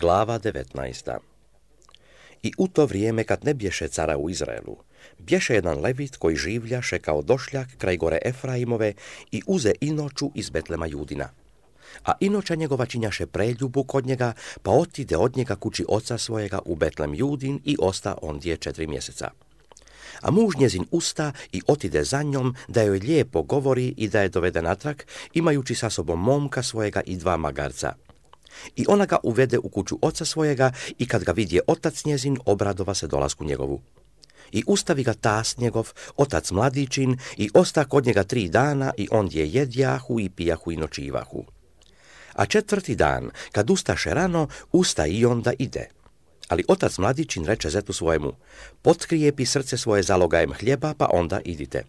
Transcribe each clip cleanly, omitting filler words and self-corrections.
Glava 19. I u to vrijeme, kad ne bješe cara u Izraelu, bješe jedan levit koji življaše kao došljak kraj gore Efraimove i uze inoču iz Betlema Judina. A inoča njegova činjaše preljubu kod njega, pa otide od njega kući oca svojega u Betlem Judin i osta ondje 4 mjeseca. A muž njezin usta i otide za njom da joj lijepo govori i da je dovede natrag, imajući sa sobom momka svojega i 2 magarca. I ona ga uvede u kuću oca svojega i kad ga vidje otac njezin, obradova se dolasku njegovu. I ustavi ga tas njegov, otac mladičin, i osta kod njega 3 dana i ondje jedjahu i pijahu i nočivahu. A 4. dan, kad ustaše rano, usta i on da ide. Ali otac mladičin reče zetu svojemu, potkrijepi srce svoje zalogajem hljeba, pa onda idite.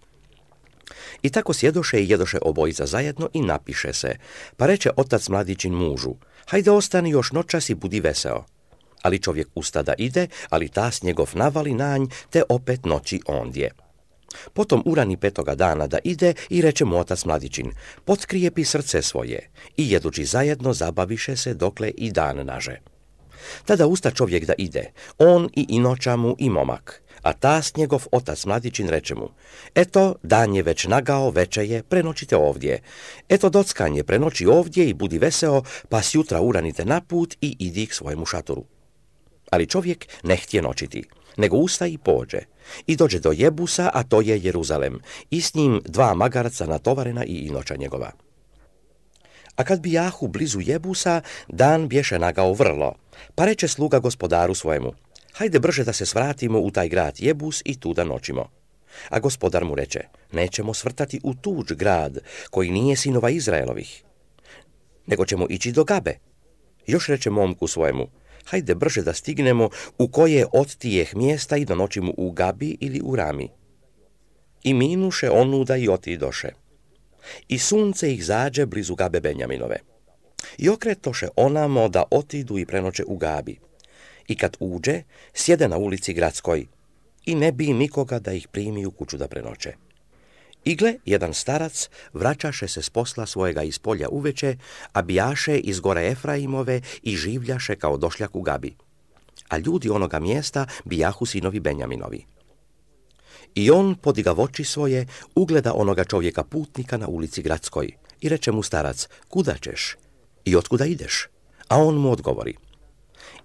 I tako sjedoše i jedoše obojica zajedno i napiše se, pa reče otac mladičin mužu, hajde ostani još noćas i budi veseo. Ali čovjek usta da ide, ali tas njegov navali na nj, te opet noći ondje. Potom urani 5. dana da ide i reče mu otac mladičin, potkrijepi srce svoje, i jedući zajedno zabaviše se dokle i dan naže. Tada usta čovjek da ide, on i inoča mu i momak, a tas njegov otac mladičin reče mu, eto, dan je već nagao, veče je, prenoćite ovdje. Eto, dockanje, prenoći ovdje i budi veseo, pa sjutra uranite na put i idi k svojemu šatoru. Ali čovjek ne htje noćiti, nego usta i pođe. I dođe do Jebusa, a to je Jeruzalem, i s njim 2 magarca natovarena i inoča njegova. A kad bijahu blizu Jebusa, dan bješe nagao vrlo, pa reče sluga gospodaru svojemu, hajde brže da se svratimo u taj grad Jebus i tu da noćimo. A gospodar mu reče, nećemo svrtati u tuđ grad, koji nije sinova Izraelovih, nego ćemo ići do Gabe. Još reče momku svojemu, hajde brže da stignemo u koje od tijeh mjesta i da noćimo u Gabi ili u Rami. I minuše onuda i otidoše. I sunce ih zađe blizu Gabe Benjaminove. I okretoše onamo da otidu i prenoće u Gabi. I kad uđe, sjede na ulici gradskoj i ne bi nikoga da ih primi u kuću da prenoće. I gle, jedan starac vraćaše se s posla svojega iz polja uveče, a bijaše iz gore Efraimove i življaše kao došljak u Gabi. A ljudi onoga mjesta bijahu sinovi Benjaminovi. I on, podiga voći svoje, ugleda onoga čovjeka putnika na ulici gradskoj i reče mu starac, kuda ćeš i otkuda ideš? A on mu odgovori,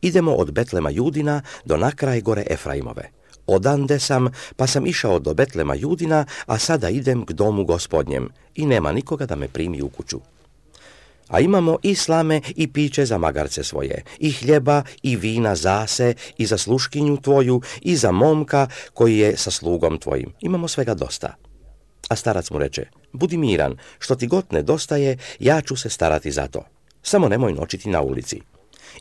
idemo od Betlema Judina do nakraj gore Efraimove. Odande sam, pa sam išao do Betlema Judina, a sada idem k domu gospodnjem i nema nikoga da me primi u kuću. A imamo i slame i piće za magarce svoje, i hljeba i vina zase, i za sluškinju tvoju, i za momka koji je sa slugom tvojim. Imamo svega dosta. A starac mu reče, budi miran, što ti god nedostaje, ja ću se starati za to. Samo nemoj noćiti na ulici.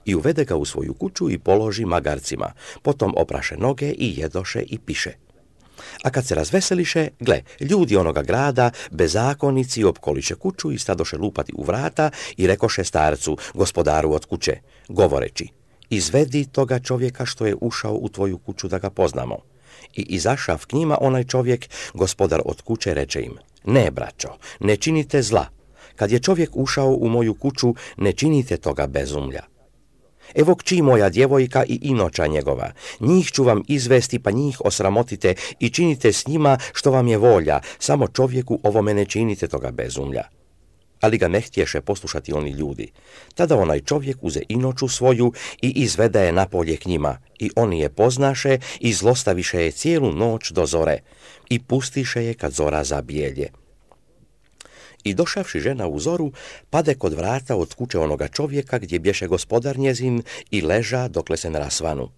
I uvede ga u svoju kuću i položi magarcima, potom opraše noge i jedoše i piše. A kad se razveseliše, gle, ljudi onoga grada, bezakonici, opkoliše kuću i stadoše lupati u vrata i rekoše starcu, gospodaru od kuće, govoreći, izvedi toga čovjeka što je ušao u tvoju kuću da ga poznamo. I izašav k njima onaj čovjek, gospodar od kuće, reče im, ne braćo, ne činite zla. Kad je čovjek ušao u moju kuću, ne činite toga bezumlja. Evo kći moja djevojka i inoča njegova, njih ću vam izvesti, pa njih osramotite i činite s njima što vam je volja, samo čovjeku ovome ne činite toga bezumlja. Ali ga ne htješe poslušati oni ljudi. Tada onaj čovjek uze inoču svoju i izvede je napolje k njima, i oni je poznaše i zlostaviše je cijelu noć do zore, i pustiše je kad zora zabijelje. I došavši žena u zoru, pade kod vrata od kuće onoga čovjeka gdje bješe gospodar njezin i leža dokle se ne rasvanu.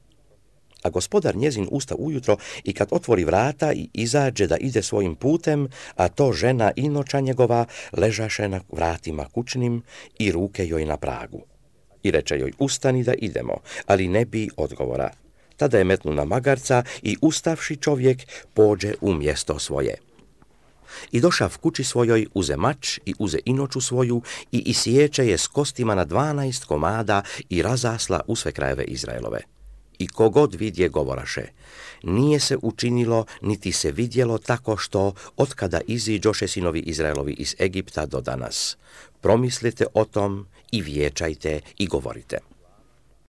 A gospodar njezin usta ujutro i kad otvori vrata i izađe da ide svojim putem, a to žena inoča njegova ležaše na vratima kućnim i ruke joj na pragu. I reče joj, ustani da idemo, ali ne bi odgovora. Tada je metnu na magarca i ustavši čovjek pođe u mjesto svoje. I došav kući svojoj, uze mač i uze inoču svoju i isječe je s kostima na 12 komada i razasla u sve krajeve Izraelove. I kogod vidje govoraše, nije se učinilo niti se vidjelo tako što od kada iziđoše sinovi Izraelovi iz Egipta do danas. Promislite o tom i vijećajte i govorite.